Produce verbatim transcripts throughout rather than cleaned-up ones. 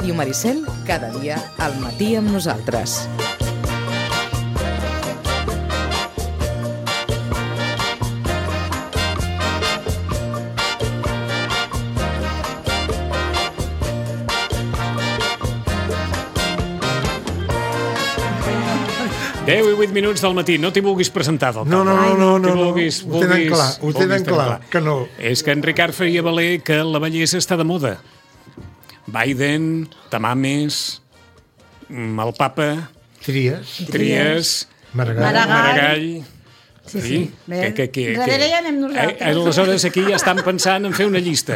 Ràdio Maricel, cada dia al matí amb nosaltres. deu i vuit minuts del matí, no t'hi vulguis presentar del No, no, no, no, no, no. vulguis, ho tenen vulguis, clar, ho tenen clar, clar, que no. És que en Ricard faria valer que la bellesa està de moda. Biden, Tamames, el papa, Tries, Tries, Maragall. Maragall. Sí, Sí, sí. que, que, que, Darrere que... ja anem nosaltres. Eh, aleshores aquí ja estan pensant en fer una llista.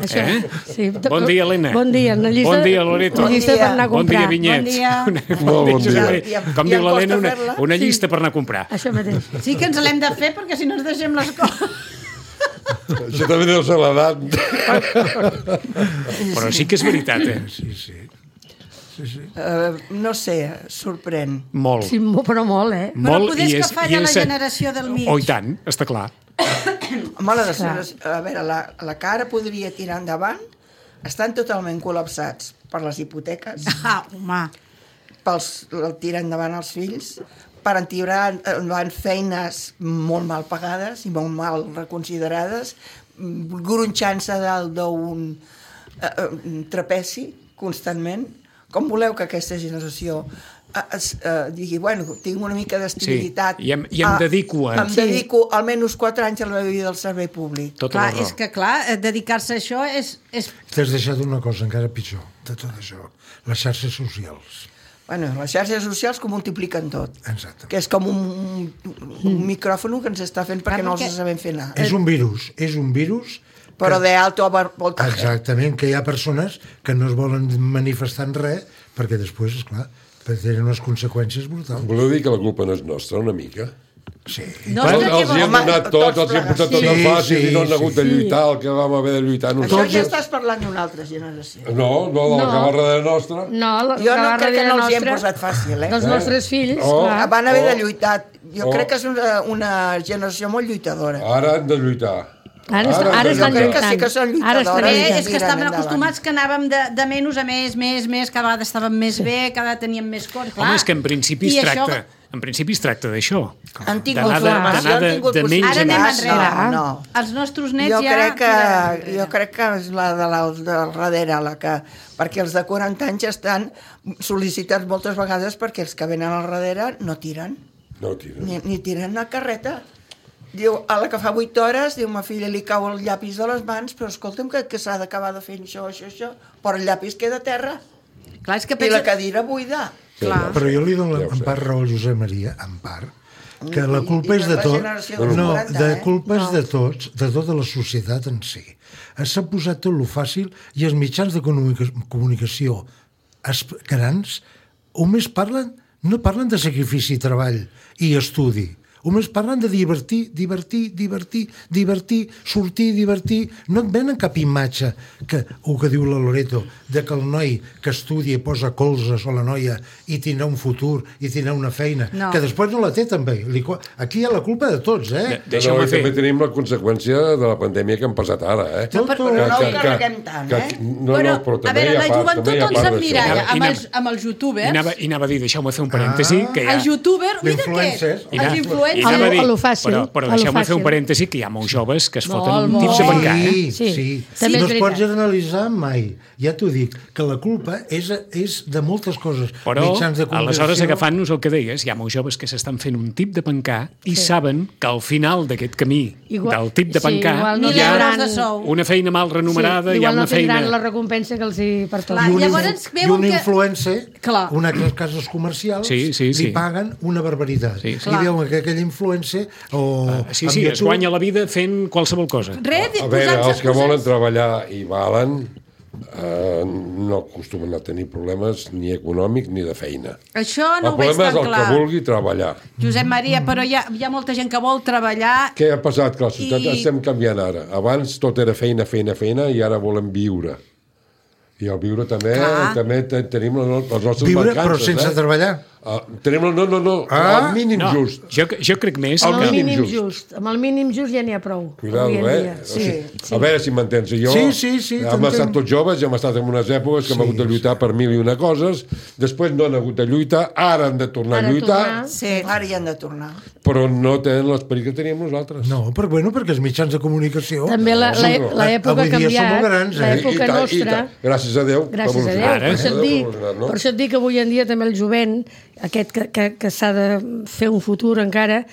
Això, Eh? sí. Bon dia, Helena. Bon dia. Una llista, Bon dia, Loreto. Una llista Bon dia. per anar a Bon comprar. dia, Vinyet. Bon dia. Una, Molt bon dia. I em- Com i diu em l'Helena, costa una, fer-la. una Sí. llista per anar a comprar. Això mateix. Sí que ens l'hem de fer perquè si no ens deixem les coses. Això també deu ser l'edat. Però sí que és veritat, eh? Sí, sí. sí, sí. Uh, no sé, sorprèn. Molt. Sí, mo- però molt, eh? Però Molt, poder i és que és- falla i la és- generació del mig. Oh, i tant, està clar. Home, la, Clar. a veure, la, la cara podria tirar endavant. Estan totalment col·lapsats per les hipoteques, Ah, home. pels el tirar endavant els fills, per tirar endavant feines molt mal pagades i molt mal reconsiderades, mm, gronxant-se dalt d'un eh, eh, trapeci constantment. Com voleu que aquesta generació eh, es, eh, digui, bueno, tinc una mica d'estabilitat. Sí, i em- i em dedico a- Em Sí. dedico almenys quatre anys a la meva vida del servei públic. Tota Clar, la raó. és que clar, eh, dedicar-se a això és... és... T'has deixat una cosa encara pitjor de tot això, les xarxes socials. Bueno, les xarxes socials que ho multipliquen tot. Exacte. Que és com un, un, un micròfon que ens està fent perquè Clar, no els perquè- sabem fer anar. És un virus, és un virus... Però que- de alto voltaje. Exactament, que hi ha persones que no es volen manifestar en res perquè després, esclar, tenen unes conseqüències brutals. Voleu dir que la culpa no és nostra, una mica? Sí. No, Els, és que els hi hem Home, donat tots tot, els hi hem posat tot plegats. en Sí, fàcil sí, i no han hagut de sí. lluitar el que vam haver de lluitar Això nosaltres. ja estàs parlant d'una altra generació. No, no, de la No. que va darrere nostra. No, la, Jo que no va crec que darrere no els hi hem nostra, posat fàcil, eh? dels nostres fills, Oh. clar. Van haver Oh. de lluitar. Jo Oh. crec que és una, una generació molt lluitadora. Ara han de lluitar. Ara, est- Ara ara jo estan crec que lluitant. sí que són Ara lluitadores. estan Eh, lluitant. és que Tiren estàvem endavant. acostumats que anàvem de, de menys a més, més, més, cada vegada estàvem més bé, cada vegada teníem més cor, clar. Home, és que en principi es I això- tracta, en principi es tracta d'això. Han tingut D'anar de- formació, d'anar han de- tingut de menys Ara a anem més. enrere. No, no. Els nostres nets Jo ja... crec, que, tiraran enrere. jo crec que és la de la del darrere, la que, perquè els de quaranta anys estan sol·licitats moltes vegades perquè els que venen al darrere no tiren, No tiren. ni, ni tiren una carreta. Diu, a la que fa vuit hores, diu, ma filla li cau el llapis de les mans, però escolta'm que, que s'ha d'acabar de fer això, això, això, però el llapis queda a terra Clar, és que i la pensa... cadira buida. Clar. Però jo li dono Ja ho en sé. part raó al Josep Maria, en part, que I- la i- culpa i és no de és la tot. generació dels No, quaranta, de eh? culpa és No. de tots, de tota la societat en si. S'ha posat tot lo fàcil i els mitjans de comunica- comunicació es- grans només parlen, no parlen de sacrifici, treball i estudi. Només parlen de divertir, divertir, divertir, divertir, sortir, divertir. No et venen cap imatge, que, el que diu la Loreto, de que el noi que estudia i posa colzes o la noia i tindrà un futur i tindrà una feina, No. que després no la té també. Li co- Aquí hi ha la culpa de tots, eh? De- No, Deixeu-me i fer. també tenim la conseqüència de la pandèmia que hem passat ara, eh? No, però, però no Que- ho que- carreguem tant, que- eh? No, bueno, no, però a també veure, hi ha la part, joventut també hi ha ens part emmiralla d'això. I amb, anava- els, amb els I youtubers. anava, i anava a dir, deixeu-me fer un parèntesi, Ah. que hi ha... Els youtubers, mira què? D'influencers. I anava- Els i influencers. anava a A dir, lo fàcil, Però, però a lo deixeu-me fer un fàcil. parèntesi, que hi ha molts joves que es Molt, foten molt. tips de pencar, eh? Sí, Sí, sí. també no és es pot veritat. generalitzar mai. Ja t'ho dic, que la culpa és, és de moltes coses. Però, Mitjans de comunicació. aleshores, agafant-nos el que deies, hi ha molts joves que s'estan fent un tip de pencar i Sí. saben que al final d'aquest camí Igual- del tip de sí, pencar igual no hi ha tindran- de sou. una feina mal remunerada, sí, hi ha igual una no tindran feina... la recompensa que els hi pertoca. Clar, I un, llavors influ- i veuen un que- influencer, Clar. una de les cases comercials, Sí, sí, sí. li paguen una barbaritat. Sí, sí. I veuen que aquell influencer o... Ah, sí, amb sí, es YouTube- guanya la vida fent qualsevol cosa. Res, A veure, posant-se- els que volen treballar i valen eh, no acostumen a tenir problemes ni econòmics ni de feina. Això no El ho veig problema és tan el clar. que vulgui treballar. Josep Maria, però hi ha, hi ha molta gent que vol treballar. Què ha passat? Que la societat I- estem canviant ara. Abans tot era feina, feina, feina i ara volem viure. I el viure també, Clar. també te- tenim les no- les nostres Viure, mancances. però sense eh? treballar. Uh, tenim el, no, no, no, Ah. el mínim No, just. jo, jo crec més El Amb el que... mínim mínim just. just. Amb el mínim just ja n'hi ha prou. Cuidado, avui en eh? dia. O Sí. sigui, a veure si m'entens. Jo Sí, sí, sí, hem t'entenc. estat tots joves i hem estat en unes èpoques que hem Sí, hagut de lluitar per mil i una coses, després no han hagut de lluitar, ara han de tornar Ara a lluitar, tornar. Sí. Ara hi han de tornar. però no tenen l'esperit que teníem nosaltres. No, però bueno, perquè els mitjans de comunicació... També la- Sí, la- però l'època avui ha dia som canviat, molt grans, eh? l'època I tant, i nostra- tant. Gràcies a Déu. Gràcies a Déu. Ara, Per això, et Déu dic, evolucionat, no? per això et dic que avui en dia també el jovent, aquest que, que, que s'ha de fer un futur encara,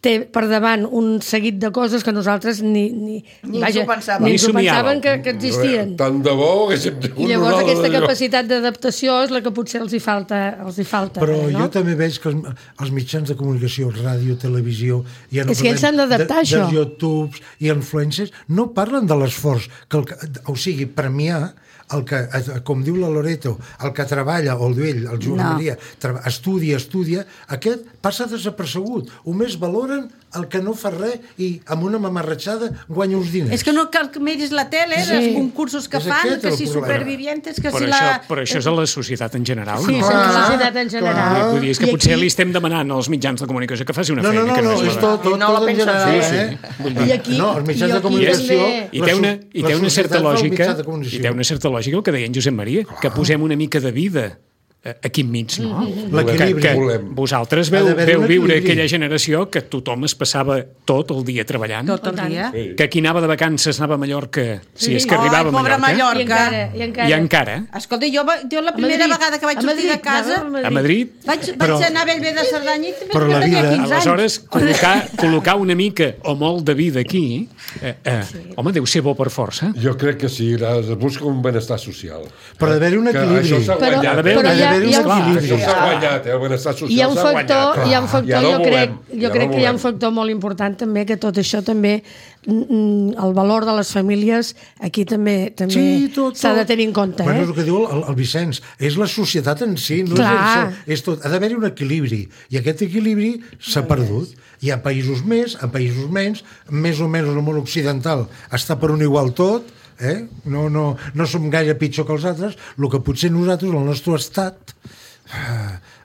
té per davant un seguit de coses que nosaltres ni, ni, Ni ens ho pensàvem. ni Ni ens ho somiàvem. pensàvem que, que existien. Tant de bo haguéssim tingut I llavors nosaltres aquesta allò. capacitat d'adaptació és la que potser els hi falta, els hi falta Però ara, no? jo també veig que els, els mitjans de comunicació, ràdio, televisió... Ja no És que ells s'han parlem d'adaptar, de, això. dels YouTubes i influencers, no parlen de l'esforç, que el, que- o sigui, premiar el que, com diu la Loreto, el que treballa, o el ell, el Joan No. Maria, treba- estudia, estudia, aquest passa desapercebut. Només valoren el que no fa res i amb una mamarratxada guanya uns diners. És que no cal que miris la tele, Sí. els concursos que És fan, aquest que el si problema. supervivientes, que Però, si això, la... però això és a la societat en general, Sí, no? és la Clar, societat en general. clar. Vull dir, és que I potser aquí- li estem demanant als mitjans de comunicació que faci una No, no, feina no, que no, no, és és la tot, tot, I no la tot en pensen general, fer. eh? Vull I dir, aquí- no, els mitjans i de aquí comunicació... també- I té una, i té la una certa societat fa els lògica, mitjans de i comunicació. té una certa lògica el que deia en Josep Maria, que posem una mica de vida eh, aquí enmig, no? L'equilibri. Que, que Volem. vosaltres Ha veu, d'haver-hi veu un viure equilibri. aquella generació que tothom es passava tot el dia treballant, Tot el dia. Sí. que qui anava de vacances anava a Mallorca, si Sí. és que Ai, arribava a pobra Mallorca, I encara, i encara. i encara, Escolta, jo, va- jo la A primera Madrid. vegada que vaig A sortir de Madrid, casa anava a Madrid, vaig, Però- vaig anar a Bellver de Cerdanya i també Però la tenia vida- quinze anys. aleshores, col·locar, col·locar una mica o molt de vida aquí, eh, eh, home, deu ser bo per força. Jo crec que sí, es busca un benestar social. Però ha d'haver un Que equilibri. això s'ha Però- guanyat, però eh? hi ha- Ha d'haver-hi hi ha un un- equilibri. Això s'ha guanyat, eh? El benestar social Hi ha un s'ha factor, guanyat. hi ha un factor I ara jo ho crec, volem, i jo ara crec ho que hi ha un volem. factor molt important també, que tot això també, mm, el valor de les famílies, aquí també també Sí, tot, s'ha de tot. tenir en compte. Bueno, és Eh? el que diu el, el Vicenç, és la societat en si, no Clar. és això, és tot. Ha d'haver-hi un equilibri, i aquest equilibri s'ha perdut. Hi ha països més, en països menys, més o menys el món occidental està per un igual tot, eh? no, no, no som gaire pitjor que els altres, el que potser nosaltres, el nostre estat,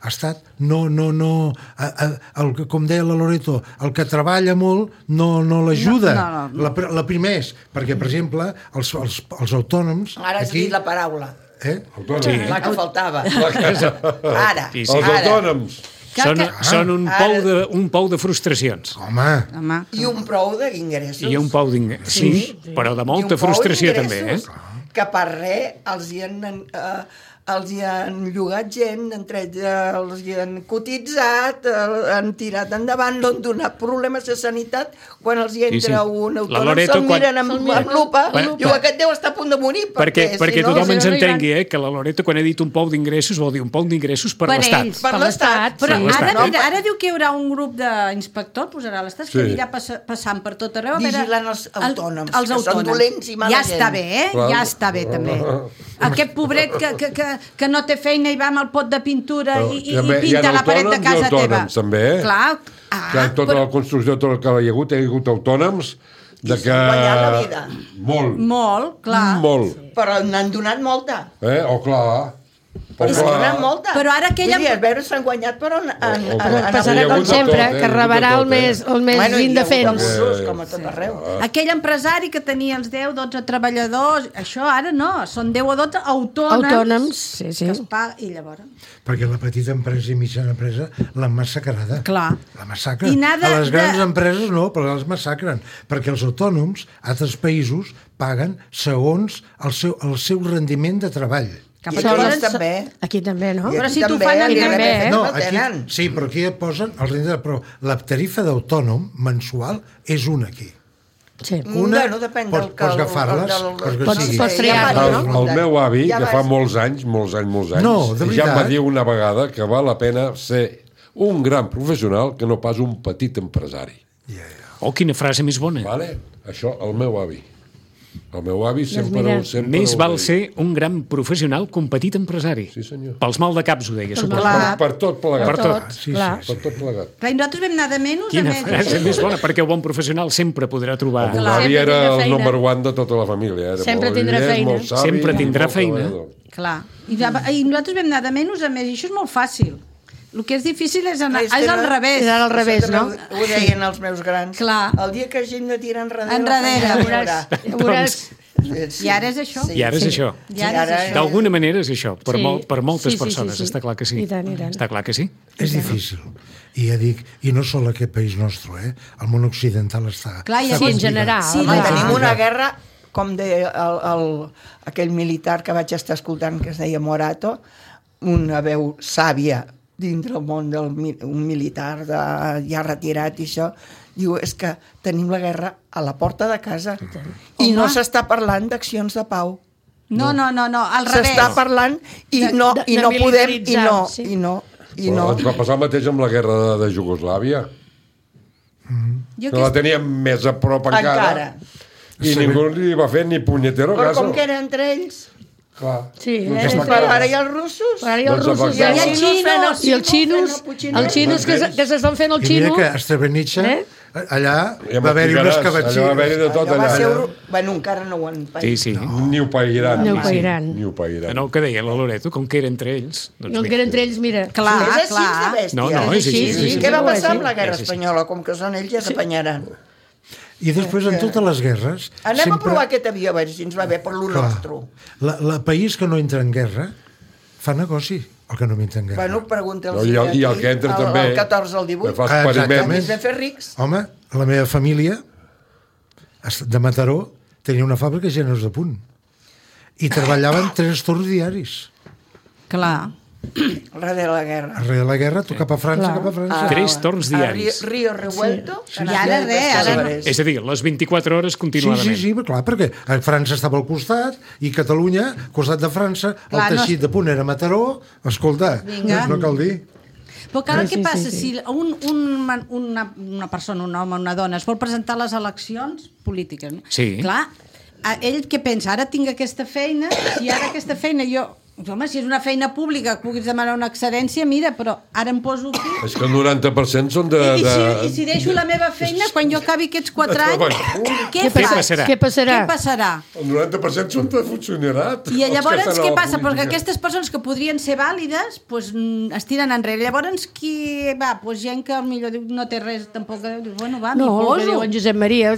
ha estat, no, no, no, a, a, el, que- com deia la Loreto, el que treballa molt no, no l'ajuda. No, no, no. La, pr- la primer és, perquè, per exemple, els, els, els autònoms... Ara has dit la paraula. Eh? Autònoms. La que faltava. Ara, Sí, sí. Els ara. autònoms. Cal Són, que- són un, Ara- pou de, un pou de frustracions. Home, Home, I un prou d'ingressos. I un pou d'ingressos. Sí, però de I un molta pou frustració també, eh? d'ingressos Que per res els hi han... Eh, els hi han llogat gent, entre ells eh, els hi han cotitzat, eh, han tirat endavant, no han donat problemes de sanitat. Quan els hi entra Sí, sí. un La autònom, Loreto, se'l quan- miren amb, Se'l miren amb lupa, Quan- diu, aquest deu estar a punt de morir, Perquè, perquè, perquè si no... tothom ens si no, no hi van. entengui, eh, que la Loreto, quan ha dit un pou d'ingressos, vol dir un pou d'ingressos per, Per l'Estat. ells. Per l'Estat. però Sí, ara, l'Estat. mira, ara diu que hi haurà un grup d'inspectors, posarà l'estat, que Sí. anirà pass passant per tot arreu. a veure- Vigilant els autònoms, el- els que són autònoms. dolents i mala Ja gent. està bé, eh? Clar. Ja està bé, també. Aquest pobret que, que, que, que no té feina i va amb el pot de pintura Però i, i, també i hi ha pinta la paret de autònoms i casa teva. autònoms, també, eh? Clar. Que Ah, en tota la construcció, tot el que hi ha hagut, hi ha hagut autònoms de que... s'han guanyat la vida. Molt, molt, clar. molt. Però n'han donat molta. Eh? O clar. O N'han donat clar. molta. Però ara aquella- Vull dir, a veure, s'han guanyat, però... En, en, O- o- en, en, Passarà Hi ha com hagut de sempre, tot, eh? que Hi ha hagut de rebarà el tot, eh? més, el més bueno, hi ha hagut indefens. abusos, com a tot arreu. Aquell empresari que tenia els deu, dotze treballadors, això ara no, són deu o dotze autònoms, Autònoms, sí, sí. que es paga, i llavors... perquè la petita empresa i mitjana empresa l'han massacrada. Clar. La massacren. I nada a les grans de- empreses no, però les massacren. Perquè els autònoms, a altres països, paguen segons el seu, el seu rendiment de treball. Cap I a aquí llavors, també. Aquí també, no? I Però aquí si t'ho també, fan el aquí I R P F també, eh? No, el aquí, tenen. sí, però aquí et posen el rendiment, però la tarifa d'autònom mensual és una aquí. Sí. Una, Bueno, depèn pots, del que... pots agafar-les, el- el- els que Pots- sigui. pots Ja triar-la, vas- El, el meu avi, ja que vas- fa molts anys, molts anys, molts anys, No, de ja em veritat. va dir una vegada que val la pena ser un gran professional que no pas un petit empresari. Oh, quina frase més bona. Vale? Això, el meu avi. El meu avi sempre, mira, ho- sempre Més ho val deia. ser un gran professional que un petit empresari. Sí, senyor. Pels mal de caps ho deia, suposo. mal- Per, per tot plegat. Per tot. Sí, clar. sí, Per tot plegat. Clar, i nosaltres vam anar de menys a Quina més. frase més bona, perquè un bon professional sempre podrà trobar... El meu Clar. avi Sempre era tindrà el feina. number one de tota la família. Era Sempre molt tindrà llest, feina. molt savi, Sempre tindrà molt feina. treballador. Clar. I, I nosaltres vam anar de menys a més, i això és molt fàcil. El que és difícil és, anar, Clar, és al revés. És al revés, Això no? també Ho deien els meus grans. Clar. El dia que hagin de tirar enrere... Enrere. la Veuràs, feina veuràs. Sí. I ara és això. I ara és això. I ara és això. D'alguna manera és això, per, Sí. mol, per moltes Sí, sí, sí, persones, sí. està clar que sí. I tant, i tant. Està clar que sí. És difícil. I ja dic, i no sol aquest país nostre, eh? El món occidental està... Clar, i està a més- en general. complicat. Sí, Home, clar. tenim una guerra, com deia el, el, aquell militar que vaig estar escoltant, que es deia Morato, una veu sàvia dintre el món del mi- un militar de, ja retirat i això, diu, és que tenim la guerra a la porta de casa i no s'està parlant d'accions de pau. No, no, no, no, al revés. S'està parlant i De- no, de- i de no podem i militaritzar, no, sí. i no, i Però no. ens va passar el mateix amb la guerra de, de Jugoslàvia. Jo Que la que... teníem més a prop encara. Encara. I ningú li va fer ni punyetero Però caso. com que era entre ells, Clar. Sí, No eh, està és- clar. però ara hi ha els russos. Però ara hi ha els Doncs russos efectivament. i els Hi ha xinos, xinos, i els xinos, els xinos que, s- que s'estan fent el I mira xino. que a Srebrenica, Eh? allà Ja va haver-hi unes m'explicaràs, allò va cavatxines. haver-hi de tot Allò va allà. ser... Euro... Bueno, encara no ho han paït. Sí, sí. Ni ho pairan. Ni ho pairan. Ni ho pairan. No, el que deia la Loreto, com que era entre ells... Doncs El que era entre ells, mira. Clar, És així clar. de bèstia. No, no, és així, és així. Què va Sí, passar sí. amb la guerra És així. espanyola? Com que són ells, ja s'apanyaran. I després, en totes les guerres... Anem sempre... a provar aquest avió, a veure si ens va bé per lo Clar, nostre. la, la país que no entra en guerra fa negoci, el que no entra en guerra. Bueno, pregunta'ls. No, i, el, I el que entra el, també... El catorze al divuit. Que fa Ah, experiments. exactament. Ens vam fer rics. Home, la meva família es- de Mataró tenia una fàbrica de genes de punt i treballaven tres torns diaris. Clar. Res de la guerra. Arrere de la guerra, tu cap a França, Clar. cap a França. Ah, Tres torns a diaris. Río, Río Revuelto. Sí. I ara res, ara no. És a dir, les vint-i-quatre hores Sí, continuadament. sí, sí, però clar, perquè a França estava al costat i Catalunya, al costat de França, Clar, el no teixit de punt era Mataró, escolta, Vinga. no cal dir. Però clar, Sí, què sí, passa? sí, sí. Si un, un, man- una, una persona, un home, una dona, es vol presentar a les eleccions polítiques, no? Sí. Clar, a- ell què pensa? Ara tinc aquesta feina, si ara aquesta feina jo... Home, si és una feina pública que puguis demanar una excedència, mira, però ara em poso aquí... És que el noranta per cent són de... I, i, de... si, I si deixo la meva feina, quan jo acabi aquests quatre anys, què, Què faig? passarà? Què passarà? Què passarà? El noranta per cent són de funcionarat. I els que llavors estan a què la passa? Perquè política. aquestes persones que podrien ser vàlides pues, mm, es tiren enrere. Llavors qui va? Pues gent que millor diu, no té res tampoc. Diu, bueno, va, No, m'hi el que poso. diu en Josep Maria,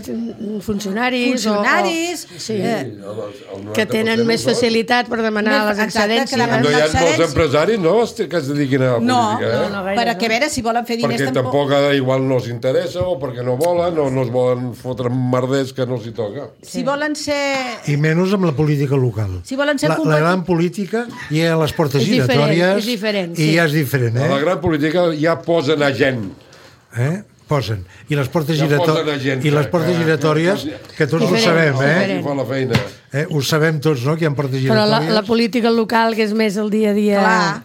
funcionaris... Funcionaris, O, o, sí, eh, El- el noranta que per tenen cent més ho són. facilitat per demanar Més- les exacte, que excedències. demanen No hi ha molts excedència. empresaris, no?, que es dediquin a la No, política, eh? no, no, gaire, per a no. què a veure si volen fer diners Perquè tampoc eh, igual no els interessa o perquè no volen o no es volen fotre merders que no els hi toca. Si volen ser... I menys amb la política local. Si volen ser la, la competi- gran política hi ha les portes És diferent, giratòries és diferent, i sí. ja és diferent, A la eh? gran política ja posen a gent. eh? Posen. I les portes, Ja girato... posen a gent. I les portes que- giratòries, que tots ho Diferent, sabem, eh? diferent. Qui fa la feina. eh? Ho sabem tots, no?, que hi ha portes Però la, giratòries. la política local, que és més el dia a dia... Clar.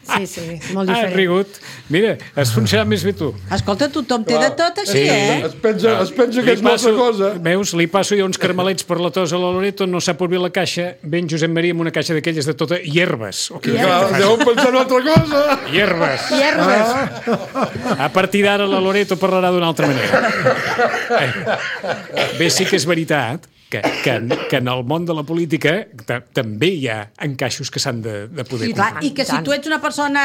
Sí, sí, molt Ah, has diferent. rigut. Mira, has funcionat més bé tu. Escolta, tothom té de tot així, Sí. eh? Es pensa, es pensa que Li és molta cosa. Veus, li passo jo uns carmelets per la tos a la Loreto, no sap obrir la caixa, ven Josep Maria amb una caixa d'aquelles de tota hierbes. O què Clar, deuen pensar en altra cosa. Hierbes. Hierbes. A partir d'ara la Loreto parlarà d'una altra manera. Eh. Bé, sí que és veritat que, que, que en el món de la política ta, també hi ha encaixos que s'han de, de poder I, clar, complir. I que si tu ets una persona...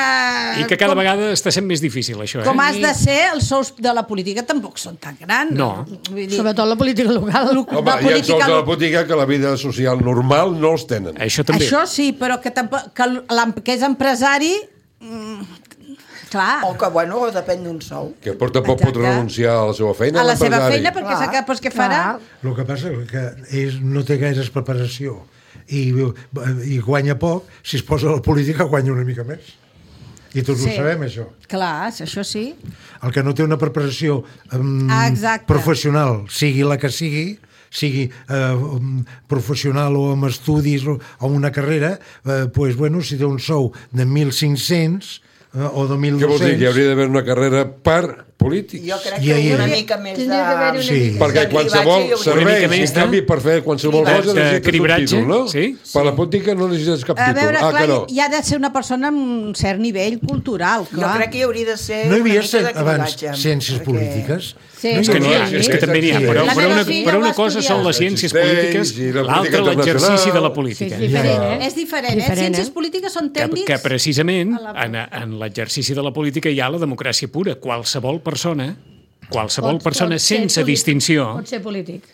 I que cada com, vegada està sent més difícil, això. Eh? Com has de ser, els sous de la política tampoc són tan grans. No. Vull dir, Sobretot la política local. lo- Home, la hi ha sous política... de la lo- política que la vida social normal no els tenen. Això també. Això sí, però que, tampoc, que, l'em- que és empresari... Mm, clar, O que, bueno, depèn d'un sou. Que per tampoc pot Exacte. renunciar a la seva feina. a la seva l'empresari. feina, perquè Clar. sap que, pues, què farà? El que passa és que ell no té gaires preparació i, i guanya poc, si es posa a la política guanya una mica més. I tots Sí. ho sabem, això. Clar, això sí. El que no té una preparació um, Ah, exacte. professional, sigui la que sigui, sigui eh, um, professional o amb estudis o, o una carrera, eh, pues, bueno, si té un sou de mil cinc-cents eh, o de mil Què vol dir? dos-cents... Que hauria d'haver una carrera per polítics. Jo crec I que ahir- una mica més de... Tindria d'haver-hi una Sí. mica. Perquè de qualsevol cribatge i servei, mica més en de- canvi, per fer qualsevol de- cosa de necessites un cribratge, títol, no? sí. Per la política no necessites cap A títol. veure, Ah, clar, que no. hi ha de ser una persona amb un cert nivell cultural, Jo clar. crec que hi hauria de ser No hi havia una mica de abans cribatge, ciències perquè- polítiques? Sí. No hi És que n'hi ha, havia? és que també n'hi ha, Sí. però, La però, meva una, filla però ho una va cosa estudiar. són les ciències Existeix, polítiques, i la l'altra política l'exercici de la internacional. política. Sí, és diferent, eh? És diferent, eh? Diferent, Ciències eh? polítiques són Que, tècnics... que precisament a la- en, en l'exercici de la política hi ha la democràcia pura. Qualsevol persona, qualsevol Pot- persona pot ser sense polític. distinció, Pot ser polític.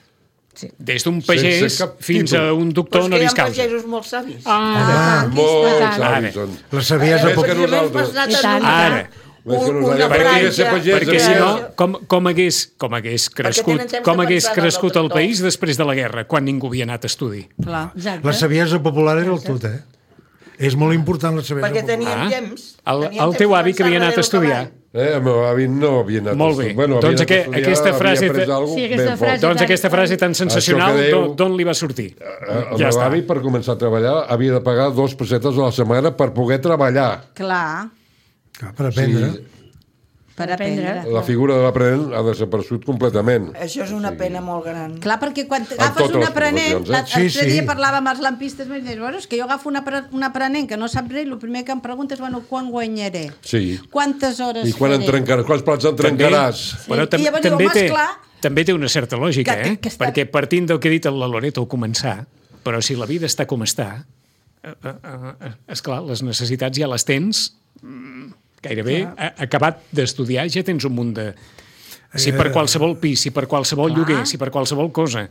Sí. des d'un pagès Sense cap fins títol. a un Però doctor és que hi honoris ha causa. pagesos molt savis. Ah, Molts tant. savis són. La saviesa... Més que pop- nosaltres. Has anat I a tant. notar Ara. Més que un- nosaltres. una Perquè franja- ser pagès, perquè eh? si no, com, com, hagués, com hagués crescut, tenen temps com de hagués pensar en crescut el el tractor. país després de la guerra, quan ningú havia anat a estudi. Clar. Exacte. La saviesa popular era el tot, eh? És molt important la saviesa Perquè popular. teníem Ah. temps. El, teníem el temps teu de avi que pensar havia anat a darrere el estudiar. cavall. Eh, el meu avi no havia anat Molt a bé. estudiar. Bueno, havia Doncs anat a aqu- estudiar, aquesta havia frase après te- alguna Sí, cosa aquesta ben frase- fort. Doncs aquesta frase tan sensacional, Això que dèiu- d'on- d'on li va sortir? Eh, El Ja meu està. avi, per començar a treballar, havia de pagar dos pessetes a la setmana per poder treballar. Clar, Clar, per aprendre. Sí. per Aprendre. aprendre. La figura de l'aprenent ha desaparegut completament. Això és una pena molt gran. Clar, perquè quan totes agafes un les aprenent... professions, eh? L'altre Sí, sí. dia parlava amb els lampistes, i dius, bueno, és que jo agafo un, apre- un aprenent que no sap res, el primer que em pregunta és, bueno, quan guanyaré? Sí. Quantes hores I quan faré? en trencaràs, quants plats en trencaràs? Sí. Però tam I llavors diu, també, home, té, esclar. també té una certa lògica, Que- eh? que- que està- Perquè partint del que ha dit la Loreto al començar, però si la vida està com està, eh, eh, eh, esclar, les necessitats ja les tens mm, gairebé a- acabat d'estudiar, ja tens un munt de... Si per qualsevol pis, si per qualsevol lloguer, si per qualsevol cosa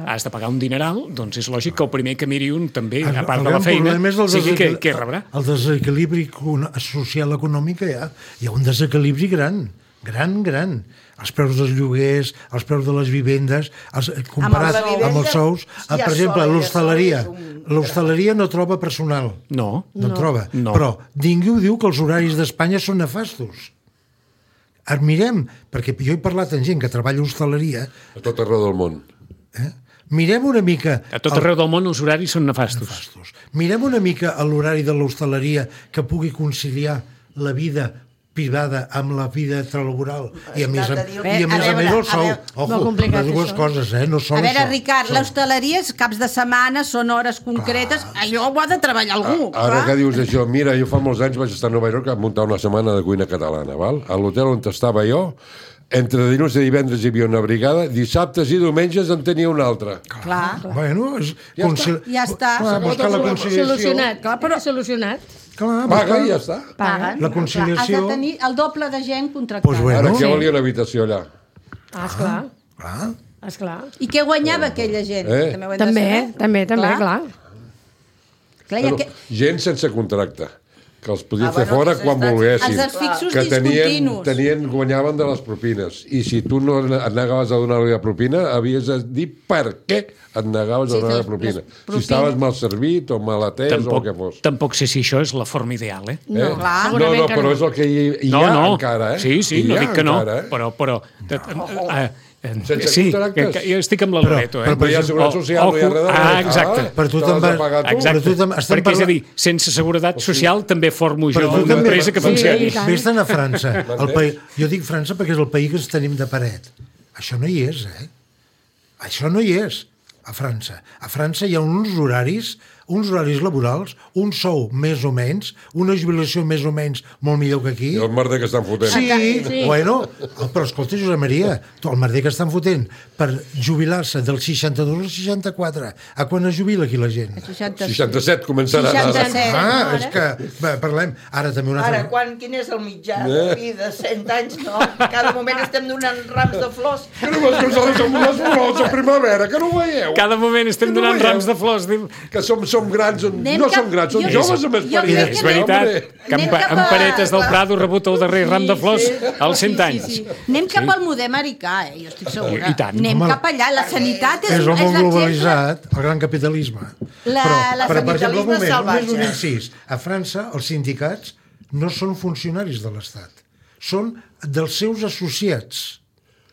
has de pagar un dineral, doncs és lògic que el primer que miri un també, a part de la gran feina, problema és el sigui que, desequil- que rebrà. El desequilibri con- social econòmic que hi ha. Hi ha un desequilibri gran, gran, gran. Els preus dels lloguers, els preus de les vivendes, els, eh, comparat Amb la amb, els sous. vivenda, eh, ja per exemple, sola, ja l'hostaleria. sola és un- L'hostaleria no troba personal. No. No, no troba. No. Però ningú diu que els horaris d'Espanya són nefastos. Admirem, perquè jo he parlat amb gent que treballa a hostaleria, A tot arreu del món. eh? Mirem una mica... A tot arreu del món els horaris són nefastos. Nefastos. Mirem una mica a l'horari de l'hostaleria que pugui conciliar la vida privada amb la vida laboral i a més a, Esclar, i a, més, a a més veure, el sou. a veure, Ojo, molt complicat, les dues això. coses, eh? No són A veure, això. Ricard, Són- l'hostaleria és caps de setmana, són hores concretes, allò ho ha de treballar algú, Ara clar. que dius això, mira, jo fa molts anys vaig estar a Nova York a muntar una setmana de cuina catalana, val? A l'hotel on estava jo, entre dilluns i divendres hi havia una brigada, dissabtes i diumenges en tenia una altra. Clar. Bueno, és... Ja concil- Ja està. Clar, buscar la conciliació. Solucionat. Clar, però solucionat. Clar, Paga buscar- i ja està. Paguen. La Clar, conciliació- has de tenir el doble de gent contractada. Pues bueno. Ara, Sí. què valia una habitació allà? Ah, esclar. Clar. Esclar. I què guanyava aquella gent? Eh? També, ho hem de També, saber. també, també, clar. Clar, ja Bueno, que... gent sense contracte, que els podien Ah, fer bueno, fora que quan s'està- volguessin. Els desfixos que tenien, discontinus. tenien, guanyaven de les propines. I si tu no et negaves a donar-li la propina, havies de dir per què et negaves a Sí, donar les- la propina. les Si propines. estaves mal servit o mal atès o el Tampoc, que fos. tampoc sé si això és la forma ideal, eh? No, Eh? clar. no, segurament no, que però no. és el que hi, hi No, ha no. encara, eh? Sí, sí, Hi no ha dic que no, encara, eh? però... però eh, eh, eh, Sense sí, que, contractes. que jo estic amb la Però- Loreto, eh? però, No hi ha seguretat social, no hi ha res de res. Ah, exacte. Per tu t'has te'n de vas- pagar tu. Exacte, Però tu tam- estem perquè és a parlant- dir, sense seguretat social també formo jo Però tu una també- empresa que Sí, funcioni. i tant. Vés-te'n a França. El país, jo dic França perquè és el país que ens tenim de paret. Això no hi és, eh? Això no hi és, a França. A França hi ha uns horaris, uns horaris laborals, un sou més o menys, una jubilació més o menys molt millor que aquí. I el merder que estan fotent. Sí, Sí. bueno, però escolta, Josep Maria, tu, el merder que estan fotent per jubilar-se del seixanta-dos al seixanta-quatre. A quan es jubila aquí la gent? seixanta... seixanta-set començarà. seixanta-set. Ah, és que, bé, parlem, ara també una Ara, altra... quan, quin és el mitjà de vida? cent anys, no? Cada moment estem donant rams de flors. Que no vas posar amb les flors a primavera, que no ho veieu? Cada moment estem Que no donant veieu? rams de flors. Diu, Que som, som grans, Anem no cap- som grans, som jo- joves amb jo experiència. crec és que anem- veritat Hombre. que en, Anem pa- cap en a- Paretes del Prado ha rebut el darrer ram de flors sí. als cent anys. Sí, sí. Anem cap al model americà, eh? Jo estic segura. I tant. Anem Home, cap allà. La sanitat és, És el món l'exemple. globalitzat, el gran capitalisme. La- però, la però, per exemple, un capitalisme moment, salvatge. només un incís. A França, els sindicats no són funcionaris de l'Estat. Són dels seus associats,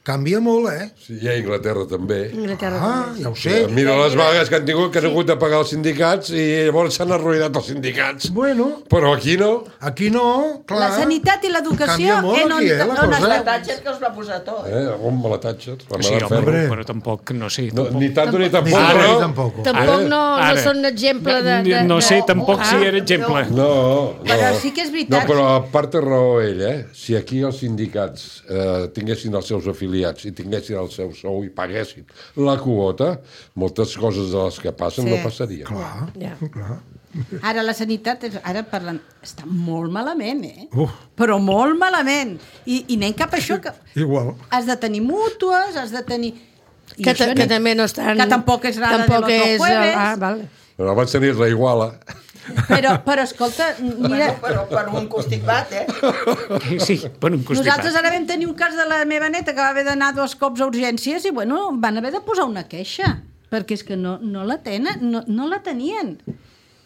Canvia molt, eh? Sí, i a Inglaterra també. Anglaterra Ah, també. ja ho sé. Mira les vagues que han tingut, que han hagut de pagar els sindicats i llavors s'han arruïnat els sindicats. Bueno, Però aquí no. aquí no, clar. La sanitat i l'educació... Canvia molt en on- aquí, eh, la on cosa. es La veu. Thatcher que us va posar tot. Eh, on me la Thatcher, la Sí, Madame home, Ferro. Hombre. però tampoc, no sé. No, Tampoc, ni tanto ni tampoc, Ni però... ni tampoc. Tampoc no, Ara. no són exemple de... de No sé, tampoc si Ah. era exemple. No, no. Però sí que és veritat. No, però a part té raó ell, eh? Si aquí els sindicats eh, tinguessin els seus afiliats i tinguessin el seu sou i paguessin la quota, moltes coses de les que passen Sí. no passarien. Clar, Ja. clar. Ara la sanitat, és- ara parlant, està molt malament, eh? Uf. Però molt malament. I, i anem cap a això, que Igual. has de tenir mútues, has de tenir... I Que, això ta, anem- que també no estan... Que tampoc és rara tampoc del otro és, jueves. Ah, val. Però abans tenies la Iguala. Però, però escolta, mira, Bueno, però per un constipat, eh? Sí, per un constipat. nosaltres ara vam tenir un cas de la meva neta que va haver d'anar dos cops a urgències i, bueno, van haver de posar una queixa, perquè és que no, no la tenen, no, no la tenien.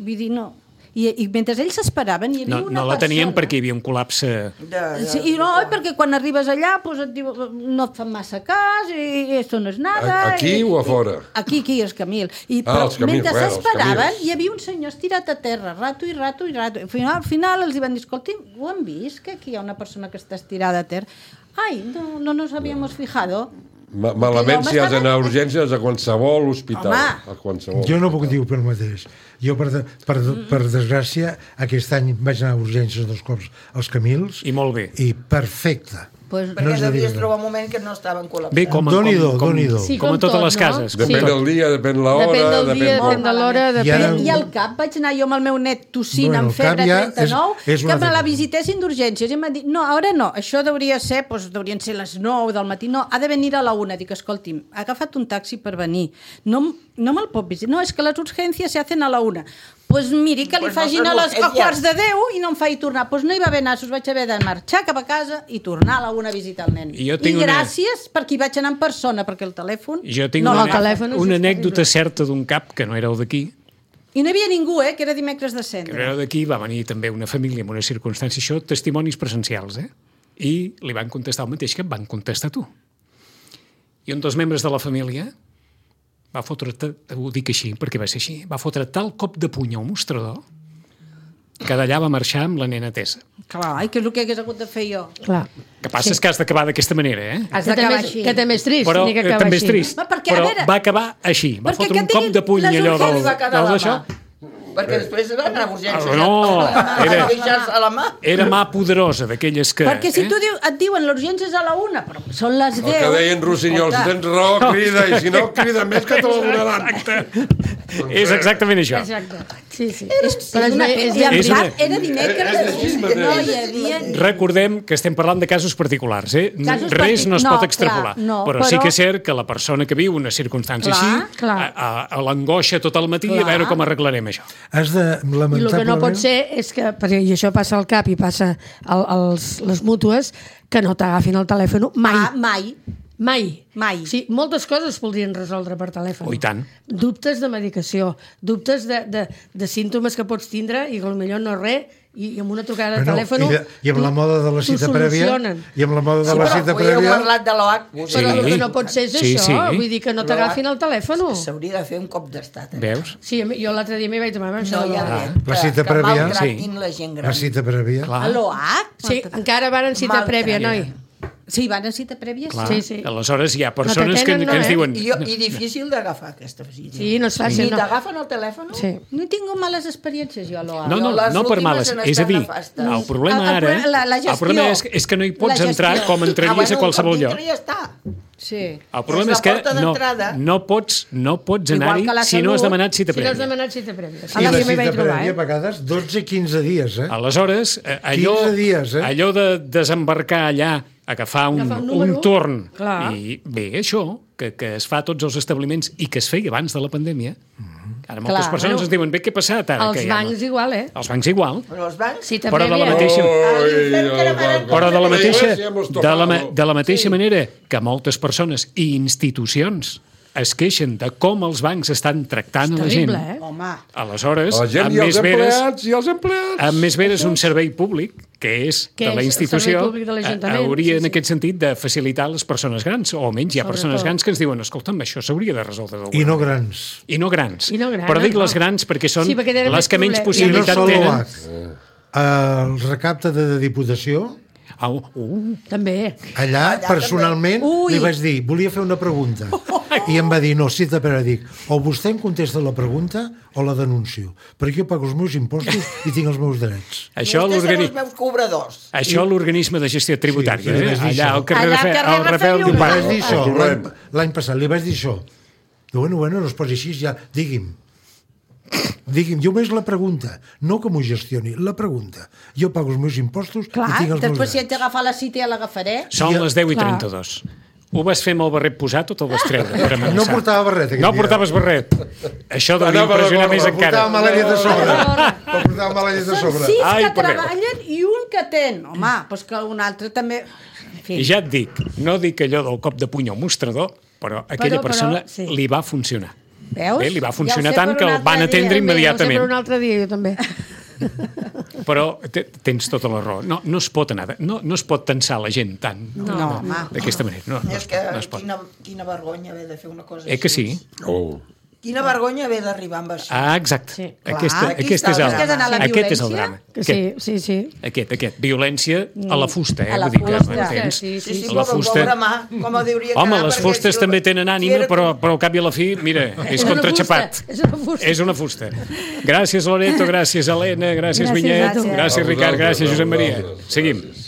Vull dir, no... I, i mentre ells s'esperaven hi havia No, una no la tenien persona... perquè hi havia un col·lapse... De, de, Sí, i no, perquè quan arribes allà pues, et diu, no et fan massa cas i esto no és nada. A- aquí i, o a fora? Aquí, aquí, els Camil. I, Ah, però els Camils, mentre bueno, els s'esperaven Camils. hi havia un senyor estirat a terra, rato i rato i rato. Al final, al final els hi van dir, escolti, ho han vist, que aquí hi ha una persona que està estirada a terra? Ai, no, no nos habíamos fijado. Ma malament Home, si has estava- d'anar a urgències a qualsevol hospital. Home. A qualsevol. Jo no puc dir per mateix. Jo, per, de, per, per desgràcia, aquest any vaig anar a urgències dos cops als Camils. I molt bé. I perfecte. Pues, perquè és de devies dir-ne. trobar un moment que no estaven col·lapsats. Bé, com, Doni-do, com, com, doni-do. com, Sí, com a com totes tot, les no? cases. com Depèn tot. del dia, depèn l'hora, Depèn del dia, depèn... depèn de l'hora, I depèn... ara- I al cap vaig anar jo amb el meu net tossint Bueno, amb el cap febre ja trenta-nou, és- és una que me altra la cosa. visitessin d'urgències i em van dir, no, ara no, això hauria ser, doncs, haurien ser les nou del matí, no, ha de venir a la una. Dic, escolti'm, ha agafat un taxi per venir, no, no me'l pot visitar, no, és que les urgències se hacen a la una. Pues miri, que li Pues no facin són a les a urgències. quarts de deu i no em faci tornar. Doncs pues no hi va haver nassos, vaig haver de marxar cap a casa i tornar a la una a visitar el nen. I jo tinc I una- gràcies perquè hi vaig anar en persona, perquè el telèfon... Jo tinc no una, l'agafa. telèfon és una terrible. anècdota certa d'un cap que no éreu d'aquí, I no hi havia ningú, eh, que era dimecres de que no cendre. éreu d'aquí, va venir també una família amb una circumstància, això, testimonis presencials, eh? I li van contestar el mateix que em van contestar tu. I un dels membres de la família va fotre, ho dic així perquè va ser així, va fotre tal cop de puny al mostrador que d'allà va marxar amb la nena Tessa. Clar, i què és el que hagués hagut de fer jo? Clar. Que passa sí. és que has d'acabar d'aquesta manera, eh? Has Que també, d'acabar és, així. que també és trist. Però tenir que eh, acabar també és així. trist. Va, perquè, a però veure- va acabar així. Va Perquè fotre que un cop diguin de puny les allò del, urgències va quedar del la d'això. mà. Perquè després va anar a urgències. Ah, no, a, era- a queixar-se a la mà. Era mà poderosa, d'aquelles que... Perquè si eh? tu diu, et diuen l'urgència és a la una, però són les El deu... que deien Rossinyols, Escolta, tens raó, crida, i si no crida més que te la donaran. És exactament això. Exacte. Sí, sí. És, Però és una, és- és, és- en és una- veritat, era dimecres, és així no mateix. hi havia... Recordem que estem parlant de casos particulars, eh? Casos Res no es partic- pot no, extrapolar. clar, no, però, sí però- que és cert que la persona que viu una circumstància Clar, així, clar. a, a, a l'angoixa tot el matí, Clar. a veure com arreglarem això. Has de, I el que lamentablement... no pot ser és que, perquè i això passa al cap i passa al, als, les mútues, que no t'agafin el telèfon mai. Ah, mai. Mai. Mai. Sí, moltes coses es podrien resoldre per telèfon. Oh, i tant. Dubtes de medicació, dubtes de, de, de símptomes que pots tindre i que potser no és res, i amb una trucada de Bueno, telèfon... i, de, I amb la moda de la cita prèvia... I amb la moda de Sí, la però cita avui heu prèvia... parlat de l'O H. Però Sí. el que no pot ser és Sí, això, sí. vull dir que no t'agafin el telèfon. S'hauria de fer un cop d'estat. Eh? Veus? Sí, jo l'altre dia m'hi vaig tomar amb No hi ha això. res La que, cita que prèvia, maltratin la gent gran. La cita prèvia... Clar. A l'O H? Sí, encara van en cita Malgrat. prèvia, noi. Sí, van a cita prèvia? Clar. Sí, sí. Aleshores hi ha persones que, t'atenen, no, que ens eh? diuen... I, jo, I difícil d'agafar aquesta visita. Sí, no és fàcil, Ni no. t'agafen el telèfon? Sí. No he tingut males experiències jo a l'O H. No, no, les no per últimes males. han És a estat dir, nefastes. el problema El- el ara... problema- la- la el problema és, gestió. és que no hi pots La entrar gestió. com entraries a qualsevol un cop lloc. dintre ja està. Sí. El problema És és, la que porta no, d'entrada. no pots, no pots Igual anar-hi que la si no has Salut. demanat cita Si no has prèvia. demanat cita prèvia. Sí, I la jo m'hi cita vaig trobar, prèvia, a eh? vegades, dotze quinze dies, eh? Aleshores, eh, allò, quinze dies, eh? allò de desembarcar allà, agafar un, Agafar un un, número, torn, clar. i bé, això, que, que es fa a tots els establiments i que es feia abans de la pandèmia, ara moltes Clar. persones Bueno, ens diuen, bé, què ha passat ara? Els que ja bancs no... igual, eh? Els bancs igual, Però els bancs... Cita però de la prèvia. mateixa... Oi, Però de la mateixa, Iglesia hemos de la, ma- tocado. de la mateixa sí. manera que moltes persones i institucions es queixen de com els bancs estan tractant a la gent. Terrible, eh? Home, Aleshores, La gent amb i els més veres, empleats, i els empleats. amb més veres un servei públic que és Que de la és el institució, servei públic de l'Ajuntament, hauria sí, en sí. aquest sentit de facilitar les persones grans, o almenys hi ha persones Sobretot. grans que ens diuen, escolta'm, això s'hauria de resoldre d'alguna I no manera." grans. I no grans. I no grans, Però dic no. les grans perquè són Sí, perquè tenen les més que menys problemes. I no possibilitat solo tenen. a, el recapte de, de Diputació, Au, uh, També. allà, Allà personalment, Ui. li vaig dir, volia fer una pregunta. I em va dir, no, sí, però dic, o vostè em contesta la pregunta o la denuncio, perquè jo pago els meus impostos i tinc els meus drets. això Vostès són l'organi... els meus cobradors. Això l'organisme de gestió tributària, Sí, sí, li eh? vaig dir allà això. al carrer Allà al Rafael, carrer al Rafael Rafael Li Llombart. vaig dir això, El l'any trobem. l'any passat, li vaig dir això. Diu, bueno, bueno, no es posi així, ja, digui'm. Digui'm, jo més la pregunta, no que m'ho gestioni, la pregunta. Jo pago els meus impostos Clar, i tinc els meus després si haig drets. d'agafar la cita ja l'agafaré. Són les deu i Clar. trenta-dos. Ho vas fer amb el barret posat o te'l vas treure? Per amenaçar? No portava barret, aquest No dia. portaves barret. Això devia Anava de impressionar gorra, més Em portava encara. mala llet a sobre. Em portava mala llet a Són sobre. sis Ai, que per Déu. treballen i un que ten. Home, doncs que un altre també... En fi. I ja et dic, no dic allò del cop de puny al mostrador, però a aquella Però- però, persona sí. li va funcionar. Veus? Bé, li va Ja ho funcionar sé tant per que un el altre van dia. atendre També, immediatament. ho sé per un altre dia, jo també. Però te- tens tota la raó. No, no es pot anar, de- no, no es pot tensar la gent tant. No, home. D'aquesta manera. No, no, És es que pot, no es pot. quina, quina vergonya haver de fer una cosa Eh que així. sí? Oh. Quina vergonya haver d'arribar amb això. Ah, exacte. Sí. Aquesta, Clar, aquí aquest està és el el, drama. És que és anar a la aquest és el violència? drama. Que Aquest, sí, sí, sí. aquest, aquest. Violència a la fusta, eh? A la Vull dir que, fusta. m'entens? Sí, Sí, sí, La però fusta... pobre mà, com ho diuria Home, quedar, les perquè fustes si- també tenen ànima, si era- però, però al cap i a la fi, mira, és una contraxapat. fusta, és una fusta. És una fusta. Gràcies, Loreto, gràcies, Helena, gràcies, Gràcies, Vinyet, gràcies. gràcies, A Ricard, vosaltres, gràcies, a Josep Maria. vosaltres. Seguim.